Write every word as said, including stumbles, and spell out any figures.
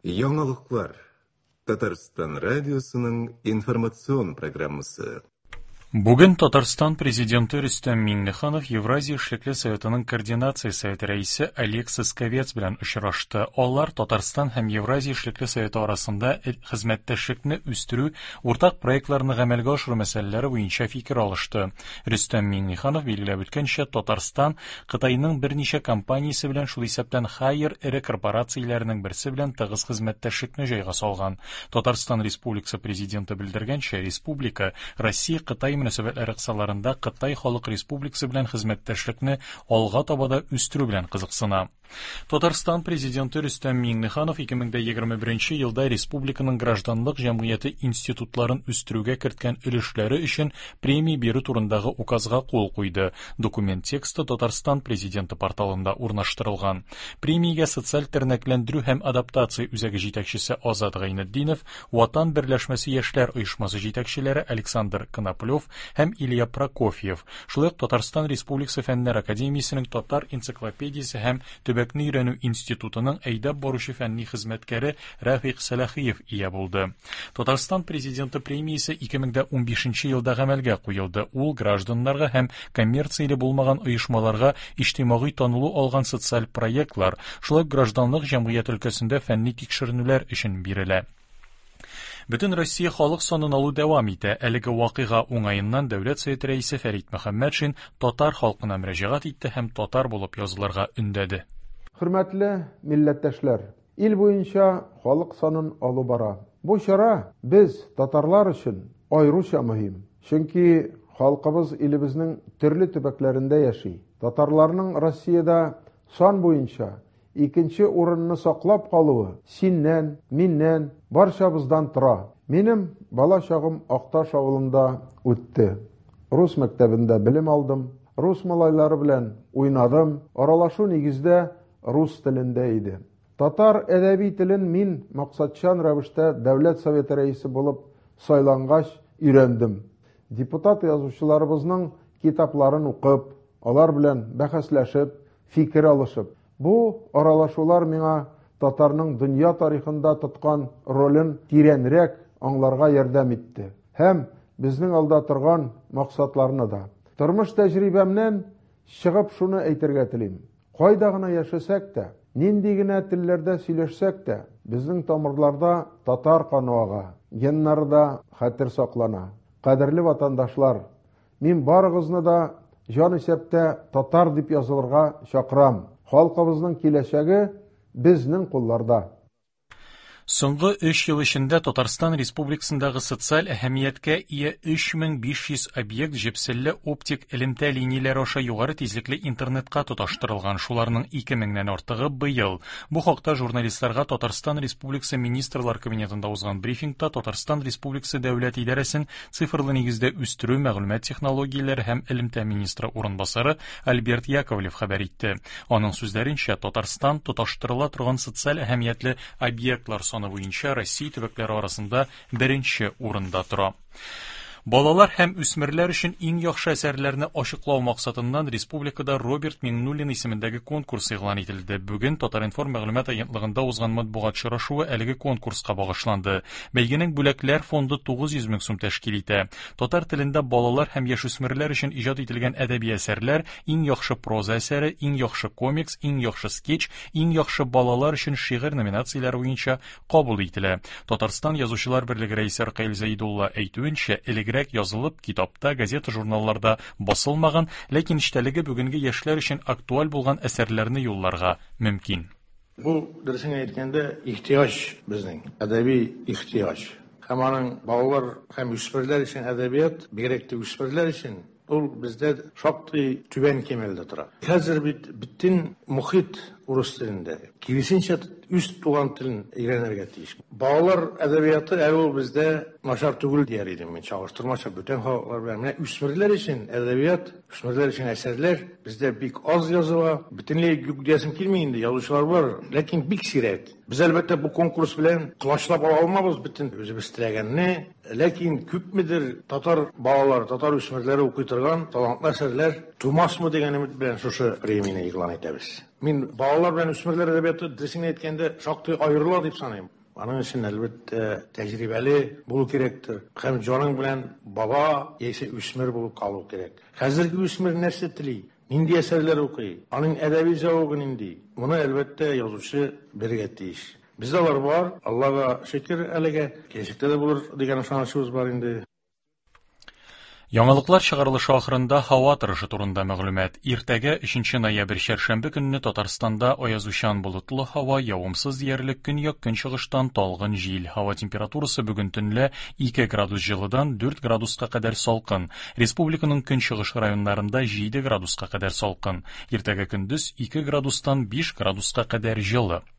Яңалыклар. Татарстан радиосының информацион программасы. Бүген Татарстан президенты Рөстәм Миңнеханов Евразия эшлекле советының координация советы рәисе Олег Сосковец белән очрашты. Алар Татарстан һәм Евразия эшлекле советы арасында хезмәттәшлекне үстерү, уртак проектларны гамәлгә ашыру мәсьәләләре буенча фикер алышты. Рөстәм Миңнеханов билгеләп үткәнчә, Татарстан Кытайның берничә компаниясе белән, шул исәптән Хайер эре корпорацияләренең берсе белән тыгыз хезмәттәшлекне җайга салган. Татарстан Республикасы президенты белдергәнчә, республика Россия Кытай мөнәсәбәтләре кысаларында Кытай Халык Республикасы белән хезмәттәшлекне алга таба да үстерү белән кызыксына. Татарстан президенты Рөстәм Миңнеханов ике мең егерме беренче елда республиканың гражданлык җәмгыяте институтларын үстерүгә керткән өлешләре өчен премия бирү турындагы указга кул куйды. Документ тексты Татарстан президенты порталында урнаштырылган. Премиягә социаль тернәкләндерү һәм адаптация үзәге җитәкчесе Азат Гайнетдинов, Ватан берләшмәсе яшьләр оешмасы җитәкчеләре Александр Коноплев һәм Илья Прокофьев, шулай ук Татарстан Республикасы Фәннәр Академиясенең Татар энциклопедиясе һәм төбәкне өйрәнү институтының әйдәп баручы фәнни хезмәткәре Рафик Сәлахиев ия булды. Татарстан президенты премиясе ике мең унбишенче елда гамәлгә куелды. Ул гражданнарга һәм коммерцияле булмаган оешмаларга иҗтимагый танылу алган социаль проектлар, шулай ук гражданлык җәмгыять өлкәсендә фәнни тикшеренүләр өчен бирелә. Бөтен Россия халык санын алу дәвам итә. Әлеге вакыйга уңаеннан Дәүләт Советы рәисе Фәрит Мөхәммәтшин татар халкына мөрәҗәгать итте һәм татар булып язылырга өндәде. Хөрмәтле милләттәшләр, ил буенча халык санын алу бара. Бу чара без татарлар өчен аеруча мөһим. Чөнки халкыбыз илебезнең төрле төбәкләрендә яши. Татарларның Россиядә сан буенча икенче урынны саклап калуы синнән, миннән, барчабыздан тора. Минем бала чагым Акташ авылында үтте. Рус мәктәбендә белем алдым, рус малайлары белән уйнадым, аралашу нигездә рус телендә иде. Татар әдәби телен мин максатчан рәвештә Дәүләт Советы рәисе булып сайлангач өйрәндем. Депутат язучыларыбызның китапларын укып, алар белән бәхәсләшеп, фикер алышып, бу аралашулар миңа татарның дөнья тарихында тоткан ролен тирәнрәк аңларга ярдәм итте. Һәм безнең алда торган максатларны да. Тормыш тәҗрибәмнән чыгып шуны әйтергә телим. Кайда гына яшәсәк тә, нинди генә телләрдә сөйләшсәк тә, безнең тамырларда татар каны ага, геннарда хәтер саклана. Кадерле ватандашлар, мин барыгызны да җан исәптә татар дип язылырга чакырам. Халкыбызның киләчәге безнең кулларда. Соңгы өч ел эчендә Татарстан Республикасындагы социаль әһәмияткә ия өч мең биш йөз объект җепселле оптик элемтә линияләре аша югары тизлекле интернетка тоташтырылган. Шуларның ике меңнән артыгы быел. Бу хакта журналистларга Татарстан Республикасы Министрлар Кабинетында узган брифингта Татарстан Республикасы Дәүләт идарәсен цифрлы нигездә үстерү, мәгълүмат технологияләре һәм элемтә министры урынбасары Альберт Яковлев хәбәр итте. Аның сүзләренчә, Татарстан тоташтырыла торган социаль әһәмиятле объектлар саны буенча Россия төбәкләре арасында беренче урында тора. Балалар һәм үсмерләр өчен иң яхшы әсәрләрне ачыклау максатыннан республикада Роберт Миңнуллин исемендәге конкурс игълан ителде. Бүген Татар-информ мәгълүмат агентлыгында узган матбугат очрашуы әлеге конкурска багышланды. Бәйгенең бүләкләр фонды тугыз йөз мең сум тәшкил итә. Татар телендә балалар һәм яшүсмерләр өчен иҗат ителгән әдәби әсәрләр, иң яхшы проза әсәре, иң яхшы комикс, иң яхшы скетч, иң яхшы балалар өчен шигырь номинацияләре буенча кабул ителә. Татарстан Язучылар берлеге рәисе Ркаил Зәйдулла әйтүенчә, элегрәк язылып, китапта, газета-журналларда басылмаган, ләкин эчтәлеге бүгенге яшьләр өчен актуаль булган әсәрләрне юлларга мөмкин. Бу, дөресен әйткәндә, ихтыяҗ безнең, әдәби ихтыяҗ. Һәм аның балалар һәм үсмерләр өчен әдәбият, бигрәк тә үсмерләр өчен, ул бездә шактый түбән кимәлдә тора. Хәзер бит бөтен мохит урыс телендә. Киресенчә, үз туган телен өйрәнергә тиеш. Балалар әдәбияты әле ул бездә начар түгел дияр идем мин, чагыштырмача бүтән халыклар белән. Менә үсмерләр өчен әдәбият, үсмерләр өчен әсәрләр бездә бик аз языла. Бөтенләй юк диясем килми инде, язучылар бар, ләкин бик сирәк. Без әлбәттә бу конкурс белән колачлап ала алмабыз бөтен үзебез теләгәнне, ләкин күпмедер татар балалары, татар үсмерләре укый торган талантлы әсәрләр тумасмы дигән өмет белән шушы премияне игълан итәбез. Мин балалар белән үсмерләр әдәбияты дөресен әйткәндә шактый аерыла дип саныйм. Аның өчен, әлбәттә, тәҗрибәле булу кирәктер. Һәм җаның белән бала яисә үсмер булып калу кирәк. Хәзерге үсмер нәрсә тели? Нинди әсәрләр укый? Аның әдәби зәвыгы нинди? Моны, әлбәттә, язучы белергә тиеш. Бездә алар бар, Аллага шөкер әлегә, киләчәктә дә булыр дигән ышанычыбыз бар инде. Яңалыклар чыгарылышы ахырында һава торышы турында мәгълүмат. Иртәгә өченче ноябрь чәршәмбе көнне Татарстанда аязучан болытлы һава, явымсыз диярлек, көньяк-көнчыгыштан талгын җил. Һава температурасы бүген төнлә ике градус җылыдан дүрт градуска кадәр салкын. Республиканың көнчыгыш районнарында җиде градуска кадәр салкын. Иртәгә көндез ике градустан биш градуска кадәр җылы.